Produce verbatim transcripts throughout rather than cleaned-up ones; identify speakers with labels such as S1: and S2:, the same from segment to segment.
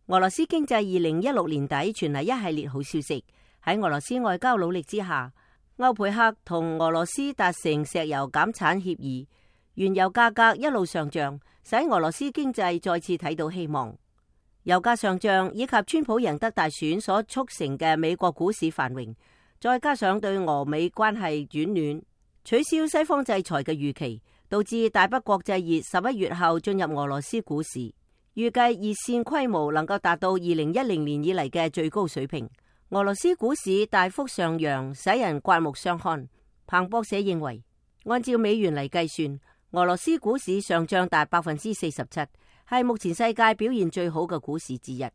S1: 俄羅斯經濟二零一六年底傳嚟一系列好消息。喺俄羅斯外交努力之下，歐佩克同俄羅斯達成石油減產協議，原油價格一路上漲，使俄羅斯經濟再次睇到希望。油價上漲以及川普贏得大選所促成嘅美國股市繁榮，再加上對俄美關係轉暖、取消西方制裁嘅預期，導致大北國際熱十一月後進入俄羅斯股市，預計熱線規模能夠達到二零一零年以嚟嘅最高水平。俄羅斯股市大幅上揚，使人刮目相看。彭博社認為，按照美元嚟計算，俄羅斯股市上漲達百分之四十七，係目前世界表現最好嘅股市之一。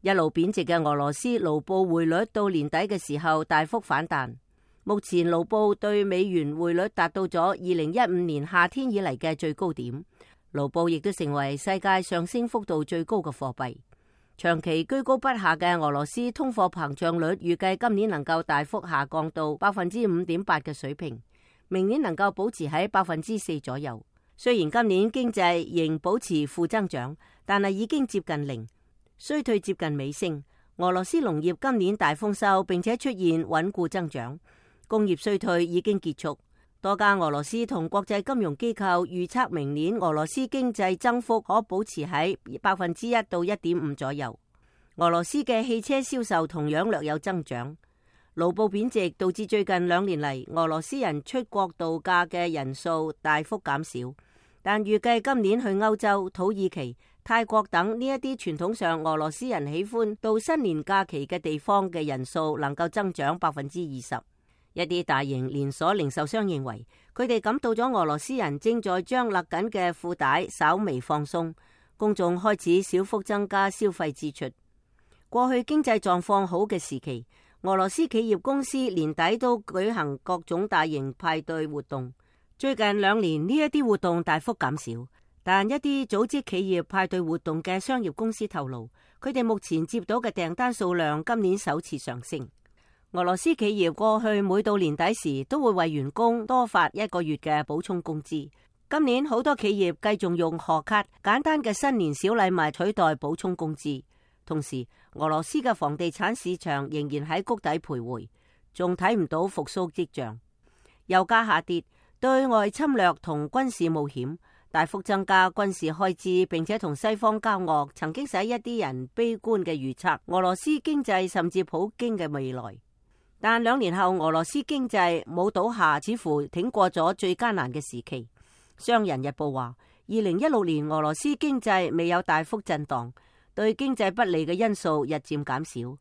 S1: 一路貶值嘅俄羅斯盧布匯率到年底嘅時候大幅反彈，目前盧布對美元匯率達到咗二零一五年夏天以嚟嘅最高點，盧布亦都成為世界上升幅度最高嘅貨幣。長期居高不下嘅俄羅斯通貨膨脹率預計今年能夠大幅下降到百分之五點八嘅水平，明年能夠保持喺百分之四左右。雖然今年經濟仍保持負增長，但係已經接近零，衰退接近尾聲。俄羅斯農業今年大豐收，並且出現穩固增長，工業衰退已經結束。多家俄羅斯同國際金融機構預測明年俄羅斯經濟增幅可保持喺百分之一到一點五左右。俄羅斯嘅汽車銷售同樣略有增長。盧布貶值導致最近兩年嚟俄羅斯人出國度假嘅人數大幅減少，但預計今年去歐洲、土耳其、泰國等呢一啲傳統上俄羅斯人喜歡到新年假期嘅地方嘅人數能夠增長百分之二十。一啲大型連鎖零售商認為，佢哋感到咗俄羅斯人正在將勒緊嘅褲帶稍微放鬆，公眾開始小幅增加消費支出。過去經濟狀況好嘅時期，俄羅斯企業公司年底都舉行各種大型派對活動。最近兩年呢一啲活動大幅減少，但一啲組織企業派對活動嘅商業公司透露，佢哋目前接到嘅訂單數量今年首次上升。俄羅斯企業過去每到年底時都會為員工多發一個月嘅補充工資。今年好多企業繼續用賀卡、簡單嘅新年小禮物取代補充工資。同時，俄羅斯嘅房地產市場仍然喺谷底徘徊，仲睇唔到復甦跡象。油價下跌，對外侵略同軍事冒險大幅增加軍事開支，並且同西方交惡，曾經使一啲人悲觀嘅預測俄羅斯經濟甚至普京嘅未來。但兩年後，俄羅斯經濟冇倒下，似乎挺過咗最艱難嘅時期。商人日報話，二零一六年俄羅斯經濟未有大幅震盪，對經濟不利嘅因素日漸減少，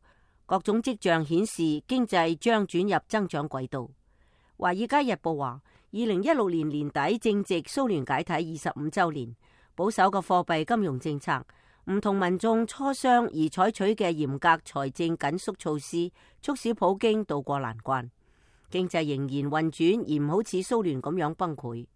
S1: 各種跡象顯示經濟將轉入增長軌道。華爾街日報話，二零一六年年底正值蘇聯解體二十五週年，保守嘅貨幣金融政策，唔同民眾磋商而採取嘅嚴格財政緊縮措施，促使普京渡過難關，經濟仍然運轉而唔好似蘇聯咁樣崩潰。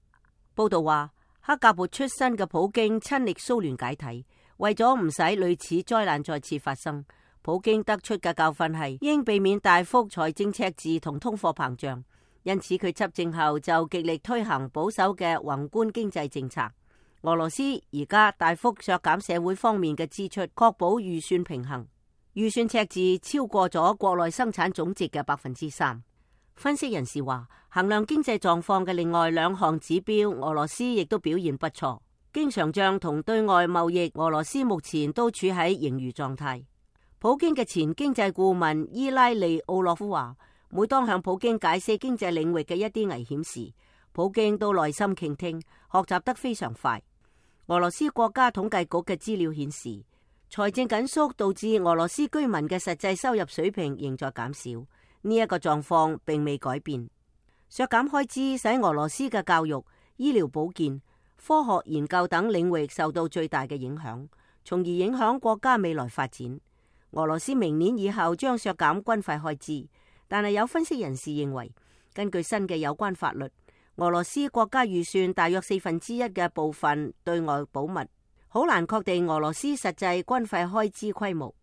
S1: 報道話，克格勃出身嘅普京親歷蘇聯解體，為咗唔使類似災難再次發生，普京得出嘅教訓係應避免大幅財政赤字同通貨膨脹，因此佢執政後就極力推行保守嘅宏觀經濟政策。俄羅斯而家大幅削減社會方面嘅支出，確保預算平衡。預算赤字超過咗國內生產總值嘅百分之三。分析人士話，衡量經濟狀況嘅另外兩項指標，俄羅斯亦都表現不錯。經常賬同對外貿易，俄羅斯目前都處喺盈餘狀態。普京嘅前經濟顧問伊拉利奧洛夫話，每當向普京解釋經濟領域嘅一啲危險時，普京都耐心傾聽，學習得非常快。俄羅斯國家統計局嘅資料顯示，財政緊縮導致俄羅斯居民嘅實際收入水平仍在減少，呢一個狀況並未改變。削減開支使俄羅斯嘅教育、醫療保健、科學研究等領域受到最大嘅影響，從而影響國家未來發展。俄羅斯明年以後將削減軍費開支，但係有分析人士認為，根據新嘅有關法律，俄羅斯國家預算大約四分之一嘅部分對外保密，好難確定俄羅斯實際軍費開支規模。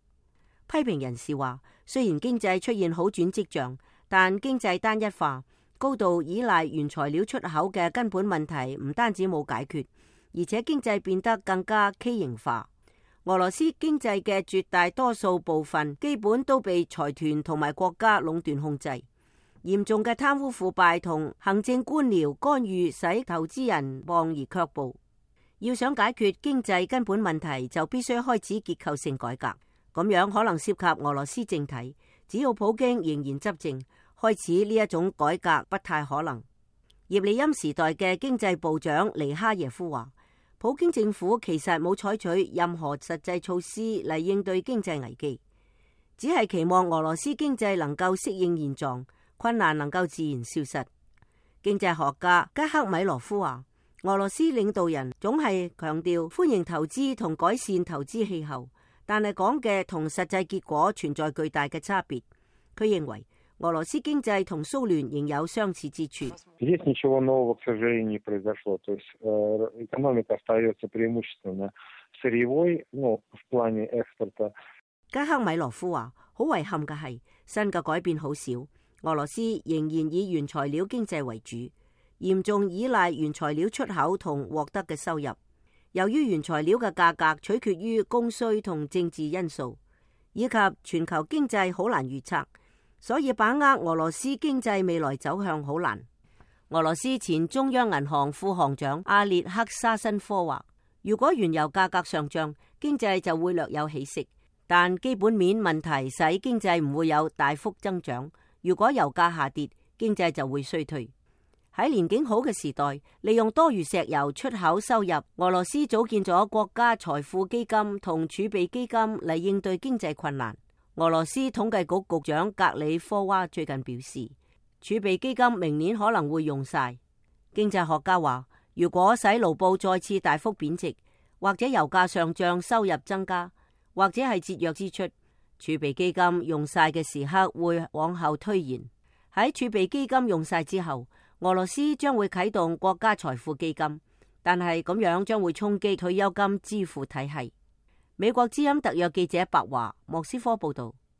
S1: 批評人士話，雖然經濟出現好轉跡象，但經濟單一化、高度依賴原材料出口嘅根本問題唔單止冇解決，而且經濟變得更加畸形化。俄羅斯經濟嘅絕大多數部分基本都被財團同埋國家壟斷控制，嚴重嘅貪污腐敗同行政官僚干預使投資人望而卻步。要想解決經濟根本問題，就必須開始結構性改革，咁樣可能涉及俄羅斯政體。只要普京仍然執政，開始呢一種改革不太可能。葉利欽時代嘅經濟部長尼哈耶夫話，普京政府其實冇採取任何實際措施嚟應對經濟危機，只係期望俄羅斯經濟能夠適應現狀，困難能夠自然消失。經濟學家加克米羅夫話，俄羅斯領導人總係強調歡迎投資同改善投資氣候，但係講嘅同實際結果存在巨大嘅差別。佢認為俄羅斯經濟同蘇聯仍有相似之處。加克米羅夫話，好遺憾嘅係，新嘅改變好少，俄羅斯仍然以原材料經濟為主，嚴重依賴原材料出口同獲得嘅收入。由於原材料嘅價格取決於供需同政治因素，以及全球經濟好難預測，所以把握俄羅斯經濟未來走向好難。俄羅斯前中央銀行副行長阿列克沙申科話，如果原油價格上漲，經濟就會略有起色，但基本面問題使經濟唔會有大幅增長。如果油價下跌，經濟就會衰退。喺年景好嘅時代，利用多餘石油出口收入，俄羅斯組建咗國家財富基金同儲備基金嚟應對經濟困難。俄羅斯統計局局長格里科娃最近表示，儲備基金明年可能會用晒。經濟學家話，如果使盧布再次大幅貶值，或者油價上漲，收入增加，或者係節約支出，儲備基金用晒嘅時刻會往後推延。喺儲備基金用晒之後，俄羅斯將會啟動國家財富基金，但係咁樣將會衝擊退休金支付體系。美國之音特約記者白華莫斯科報道。